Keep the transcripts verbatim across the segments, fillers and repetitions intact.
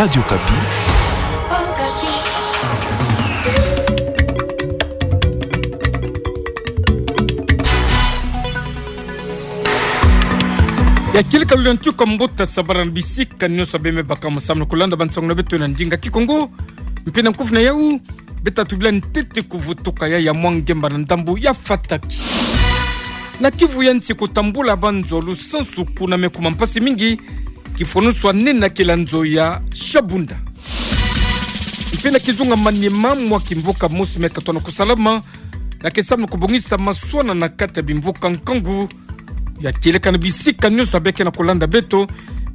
Radio Okapi. Ya kieleka lulendo kwa mbuta, sabala na bisika nyonso bembe baka musamu na kulanda bansangu na beto na ndinga Kikongo. Mpe na nkufi na yau, beta tubila ntete kuvutuka ya ya mwa ngemba na ndambu ya Fataki. Na Kivu ya nsi, kutambula banzo lusansu kuna me kuma mpasi mingi, kifwanusu a nena kela nzo ya Shabunda. Mpe na kizunga Maniema, mwa kimvuka mosi me katona kusalama, na ke samu na kubongisa maswana na kati ya bimvuka nkangu. Ya kieleka na bisika nyonso beke na kulanda beto,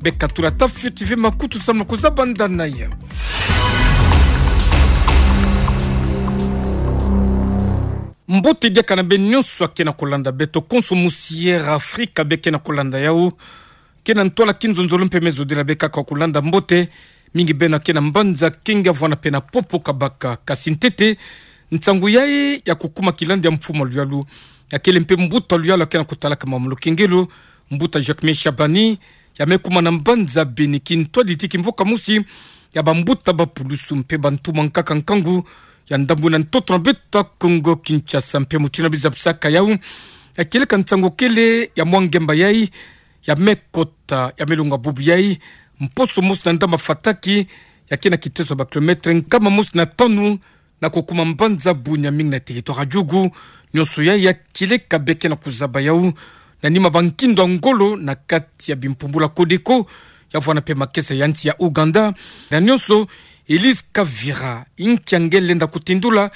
beka tula ta Fioti V makutu samu na kuzabanda na ya. Mbote diaka na beno nyonso ake na kulanda beto, konso musi Air Afrika beke na kulanda yau. Ke na ntwala kinzonzolo mpe me zodila beka kwa kulanda mbote, mingi beno ake na mbanza Kinga vwana mpe na Popo Kabaka. Kasi ntete, nsangu yayi ya kukuma kilandi ya mfumu a luyalu, akele mpe mbuta luyalu ake na kutalaka mambu lukengelo, mbuta Jacquemain Shabani, ya me kuma na mbanza Beni, kintwadi ti kimvuka mosi ya bambuta bapulusu mpe bantu mwa nkaka nkangu ya ndambu na ntoto na beto Kongo Kinshasa. Mpe mutindu na bizabisaka yau, ya kieleka nsangu kele ya mwa ngemba yayi ya me kota, ya me longa bubu yayi, mposo mosi na ndambu a Fataki, ya ke na kiteso ba kilomètre nkama mosi na tanu, na kukuma mbanza Bunia, mingi na territoire ya Djugu. Nyonso yayi ya kieleka beke na kuzaba yau, na nima ba nkindu a ngolo na kati ya bimpumbulu a Codeco, ya vwana mpe makesa ya nsi ya Ouganda. Na nyonso, Elise Kavira, inki nge lenda kutindula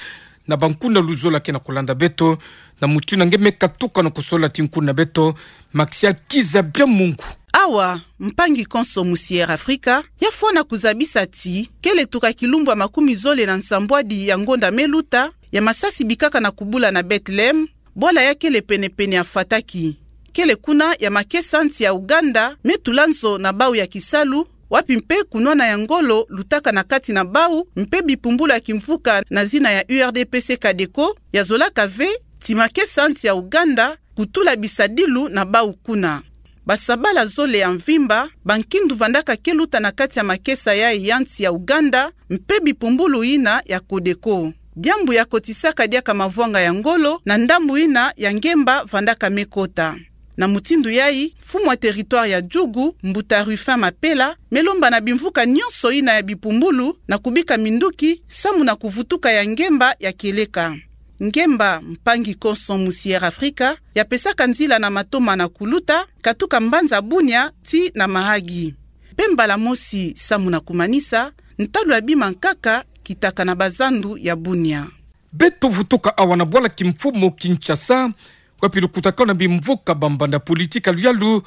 na bankuna luzolo ake na kulanda beto, na mutindu nge me katuka na kusola ti nkuna beto, Maxia Kiza Biamungu. Awa, mpangi konso musi Air Afrika, ya fwana kuzabisa ti, kele tuka kilumbu a makumi zole na nsambwadi ya ngonda me luta, ya masasi bikaka na kubula na Bethlehem, bwala ya kele pene-pene a Fataki. Kele kuna ya makesa nsi ya Ouganda me tula nzo na bau ya kisalu, wapi mpe kunwana ya ngolo lutaka na kati na bau, mpe bipumbulu ya kimvuka na zina ya U R D P C Codeco, ya zolaka ve ti makesa nsi ya Ouganda kutula bisadilu na bau kuna. Basabala zole ya mvimba, bankindu vandaka ke luta na kati ya makesa yayi ya nsi ya Ouganda, mpe bipumbulu yina ya Codeco. Diambu ya kotisaka diaka mavwanga ya ngolo na ndambu yina ya ngemba vandaka me kota. Na mutindu yayi, mfumu a territoire ya Djugu, mbuta Rufin Mapela, me lomba na bimvuka nyonso yina ya bipumbulu na kubika minduki samu na kuvutuka ya ngemba ya kieleka. Ngemba, mpangi konso musi Air Afrika, ya pesaka nzila na matoma na kuluta, katuka mbanza Bunia ti na Mahagi. Mpe mbala mosi samu na kumanisa, ntalu ya bima nkaka kitaka na bazandu ya Bunia. Beto vutuka awa na bwala kimfumu Kinshasa, wapi lukutakanu na bimvuka bambanda politique a luyalu,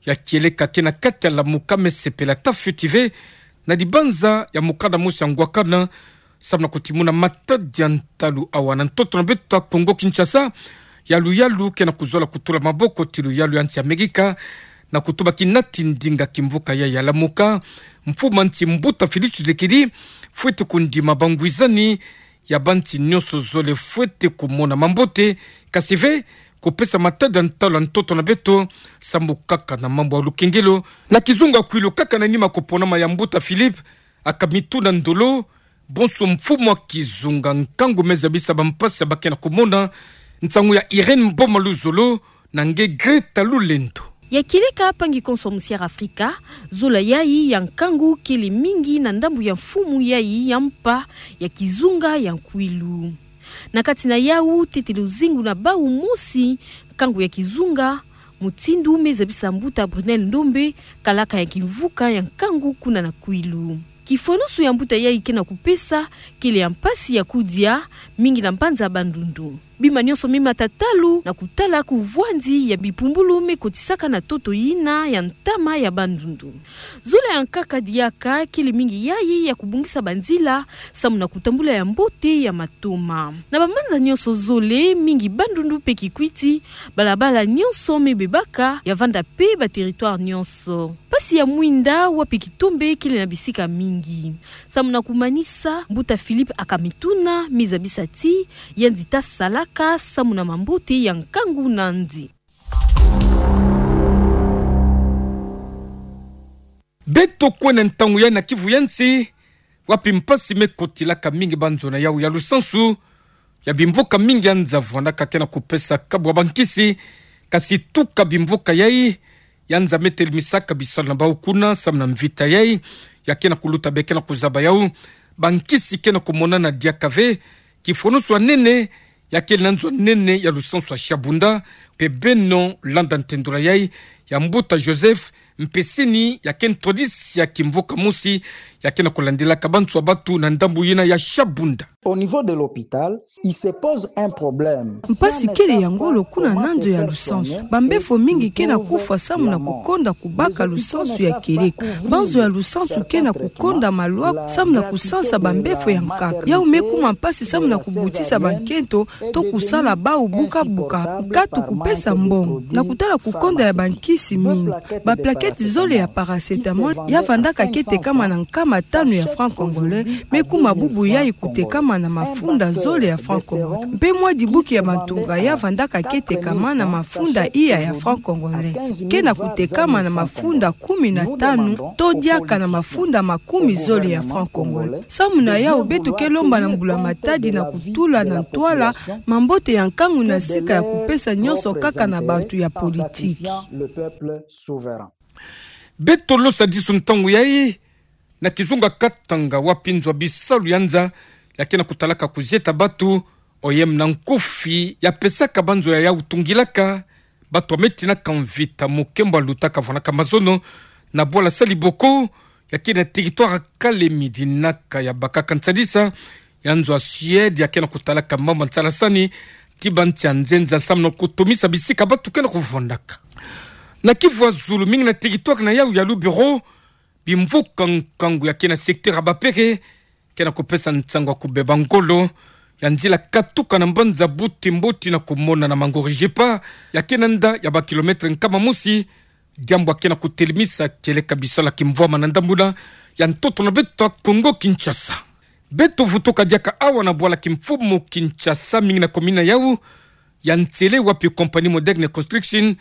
ya kieleka ke na kati ya Lamuka, me sepela ta Fioti V na dibanza ya mukanda mosi ya ngwakana, samu na kutimuna matadi ya ntalu awa na ntoto na beto Kongo Kinshasa, ya luyalu ke na kuzola kutula maboko ti luyalu ya nsi Amerika, na kutuba kinati ndinga kimvuka yayi ya Lamuka, mfumu a nsi mbuta Félix Tshisekedi fwete kundima bangwizani ya bansi nyonso zole fwete kumona mambote, kasi ve kupesa matadi ya ntalu a ntoto na beto, samu kaka na mambu ya lukengelo. Na kizunga kwilu kaka na nima kuponama ya mbuta Philippe, aka mituna ndolo, bonso mfumu a kizunga nkangu me zabisa bampasi ya ba ke na kumona, nsangu ya Irène Mboma Luzolo na nge Greta Lulendo. Ya kieleka, mpangi konso musi Air Afrika, zola yayi ya nkangu kele mingi na ndambu ya mfumu yayi ya mpa ya kizunga ya kwilu. Na kati na yau, ntete luzingu na bau mosi, nkangu ya kizunga, mutindu me zabisa mbuta Brunel Ndombe, kalaka ya kimvuka ya nkangu kuna na kwilu. Kifwanusu ya mbuta yayi ke na kupesa, kele ya mpasi ya kudia, mingi na mbanza Bandundu. Bima nyonso me mata talu na kutala kuvwandi ya bipumbulu me kotisaka na ntoto yina ya ntama ya Bandundu. Zola ya nkaka diaka kele mingi yayi ya kubongisa banzila, samu na kutambula ya mbote ya matoma. Na bambanza nyonso zole, mingi Bandundu mpe Kikwit, balabala nyonso me bebaka, ya vanda mpe ba territoire nyonso. Mpasi ya mwinda wapi kitombe kele na bisika mingi. Samu na kumanisa, mbuta Philippe aka mituna me zabisa ti, yandi ta salaka samu na mambote ya nkangu nandi. Beto kwenda ntangu ya na kivu ya nsi, wapi mpasi me kotilaka mingi banzo na yau ya lusansu ya bimvuka mingi ya nza vwandaka ke na kupesa kabu ya bankisi, kasi tuka bimvuka yai ya nza me telimisaka bisalu na bau kuna samu na mvita yai ya ke na kuluta be ke na kuzaba yau, bankisi ke na kumonana diaka ve. Kifonoso ya nene ya kele na nzo ya nene ya lusansu ya Shabunda, mpe beno landa ntendula yai ya mbuta Joseph Mpesini, ya ke ntwadisi ya kimvuka mosi ya ke na kulandilaka banso ya batu na ndambu yina ya Shabunda. Au niveau de l'hôpital, il se pose un problème. Mpasi kele ya ngolo kuna na nzo ya lusansu. Bambefo mingi ke na kufwa samu na kukonda kubaka lusansu ya kieleka. Banzo ya lusansu ke na kukonda malwaku samu na kusansa bambefo ya nkaka. Yau me kuma mpasi samu na kubutisa bankento to kusala bau buka-buka, nkatu kupesa mbongo. Na kutala kukonda ya bankisi mingi, baplaketi zole ya paracétamol ya vandaka ke tekama na nkama tanu ya franc congolais, me kuma bubu yai kutekama na mafunda zole ya franc congolais. Mpe mwa dibuki ya bantunga ya vandaka ke tekama na mafunda iya ya franc congolais, ke na kutekama na mafunda kumi na tanu to diaka na mafunda makumi zole ya franc congolais. Samu na yau beto ke lomba na mbula matadi na kutula na ntwala mambote ya nkangu na sika ya kupesa nyonso kaka na bantu ya politiki. Beto losa disu ntangu yai na kizunga Katanga, wapi nzo ya bisalu ya nza ya ke na kutalaka kuzieta batu, O M na nkufi ya pesaka banzo ya yau tungilaka batu ya me tinaka mvita mu nkembo ya lutaka vwanaka mazono na bwala Saliboko, ya ke na territoire Kalemie, dinaka ya bakaka nsadisa ya nzo ya Suède ya ke na kutalaka mambu ya nsalasani ti bansi ya nzenza samu na kutomisa bisika batu ke na kuvwandaka. Na kivu ya zulu, mingi na territoire na yau ya Lubero, bimvuka nkangu ya ke na secteur ya Bapere ke na kupesa nsangu ya kubeba ngolo ya nzila katuka na mbanza Butembo tii na kumona na Mangori Jepa, ya ke na nda ya ba kilomètre nkama mosi, diambu ya ke na kutelemisa kieleka bisalu ya kimvwama na ndambu yina ya ntoto na beto ya Kongo Kinshasa. Beto vutuka diaka awa na bwala kimfumu Kinshasa, mingi na commune na yau ya Nsele, wapi compagnie Moderne Construction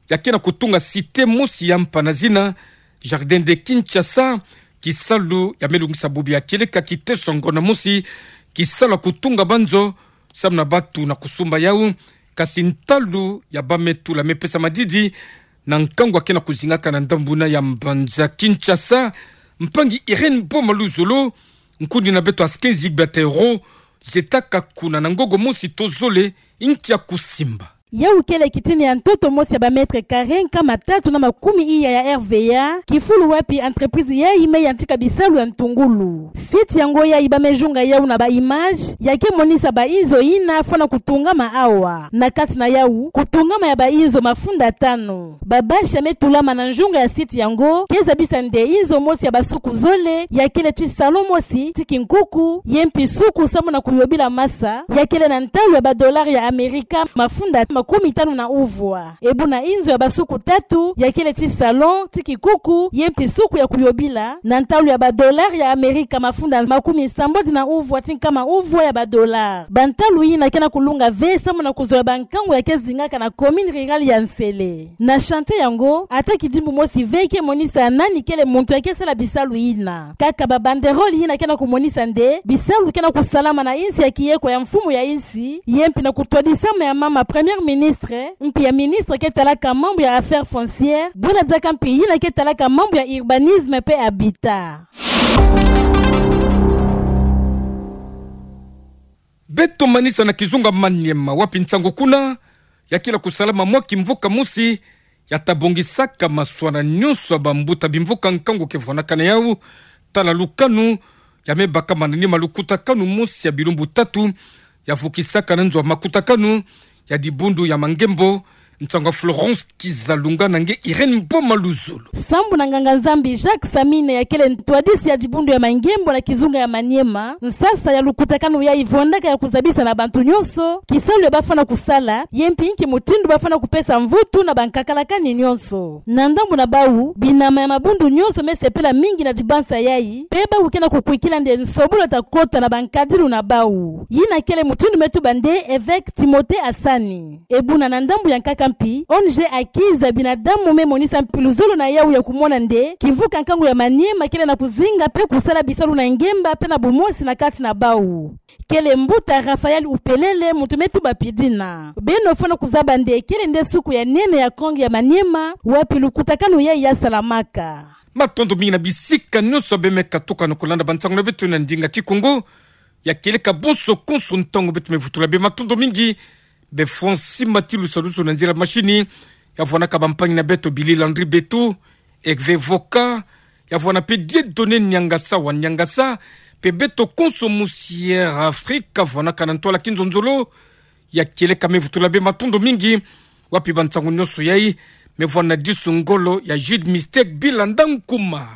ya ke na kutunga cité mosi ya mpa na zina Jardin de Kinshasa. Kisalu ya me lungisa bubu ya kieleka kiteso ya ngonda mosi, kisalu ya kutunga banzo samu na batu na kusumba yau, kasi ntalu ya ba me tula me pesa madidi na nkangu ya ke na kuzingaka na ndambu yina ya mbanza Kinshasa. Mpangi Irène Boma Luzolo, nkundi na beto Askenzi Batero, zietaka kuna na ngogo mosi to zole, nki ya kusimba. Yau kele kitini ya ntoto mosi ya ba mètre carré nkama tatu na makumi iya ya R V A, kifulu wapi entreprise yai me yantika bisalu ya ntungulu. Site yango yai ba me zunga yau na ba image ya ke monisa ba inzo yina fwana kutungama awa. Na kati na yau, kutungama ya ba inzo mafunda tanu. Ba bâche ya me tulama na nzunga ya site yango ke zabisa nde inzo mosi ya basuku zole, ya kele ti salon mosi ti kinkuku, ye mpi suku samu na kuyobila masa, ya kele na ntalu ya ba dollars ya Amerika mafunda makumi tanu na uvwa. E buna inzo ya basuku tatu, ya kele ti salon ti kinkuku, ye mpi suku ya kuyobila, na ntalu ya ba dollars ya Amerika mafunda makumi sambodi na uvwa ti nkama uvwa ya ba dollars. Ba ntalu yina ke na kulunga ve samu na kuzola ba nkangu ya ke zingaka na commune rurale ya Nsele. Na chantier yango, ata kidimbu mosi ve ke monisa nani kele muntu ya ke sala bisalu yina. Kaka ba banderole yina ke na kumonisa nde bisalu ke na kusalama na insi ya kieko ya mfumu ya insi, ye mpi na kutwadisama ya mama Premier Ministre, mpi ya ministre ke talaka mambu ya affaires foncières, buna diaka mpi yina ke talaka mambu ya urbanisme mpe habitat. Beto manisa na kizunga Maniema, wapi nsangu kuna ya kila kusalama mwa kimvuka mosi ya ta bongisaka maswana nyonso ya bambuta bimvuka nkangu ke vwanaka na yau. Tala lukanu ya me bakama na nima lukutakanu mosi ya bilumbu tatu ya vukisaka na nzo ya makutakanu ya dibundu ya Mangembo. Nsangu ya Florence Kizalunga na nge Irène Mboma Luzolo. Sambu na nganga-Nzambi Jacques Samine ya kele ntwadisi ya dibundu ya Mangembo na kizunga ya Maniema, nsasa ya lukutakanu yai vwandaka ya kuzabisa na bantu nyonso kisalu ya bafwana kusala, ye mpi nki mutindu bafwana kupesa mvutu na bankakalakani nyonso. Na ndambu na bau, binama ya mabundu nyonso me sepela mingi na dibansa yai, mpe bau ke na kukwikila nde nsobolo ta kota na bankadilu na bau. Yina kele mutindu me tuba nde évêque Timothée Asani. E buna na ndambu ya nkaka mpi, O N G Haki za Binadamu me monisa mpi luzolo na yawu ya kumona nde kimvuka nkangu ya Maniema kele na kuzinga pe kusala bisalu na ngemba pe na bumosi na kati na bawu. Kele mbuta Raphaël Upelele, muntu me tuba Pidina. Beno fwana kuzaba nde kele nde suku ya nene ya Kong ya Maniema, wapi lukutakanu yayi yasalamaka. Matondo mingi na bisika nyonso beno me katuka na kulanda bansangu na beto na ndinga Kikongo. Ya kieleka bonso konso ntangu beto me vutula beno, matondo mingi. Bê Francis Matilu Saluso na nzila machine, ya vwanaka bampangi na beto Billy Landry Beto, Hervé Voka, ya vwana pe Dieudonné Niangasa wa Niangasa, pe beto konso mu Sierra Afrika, vwanaka na ntwala kinzonzolo. Ya kieleka me vutula bê matondo mingi, wapi bansangu nyonso yayi, me vwana disu ngolo ya Jude Mistake Bilanda Nkuma.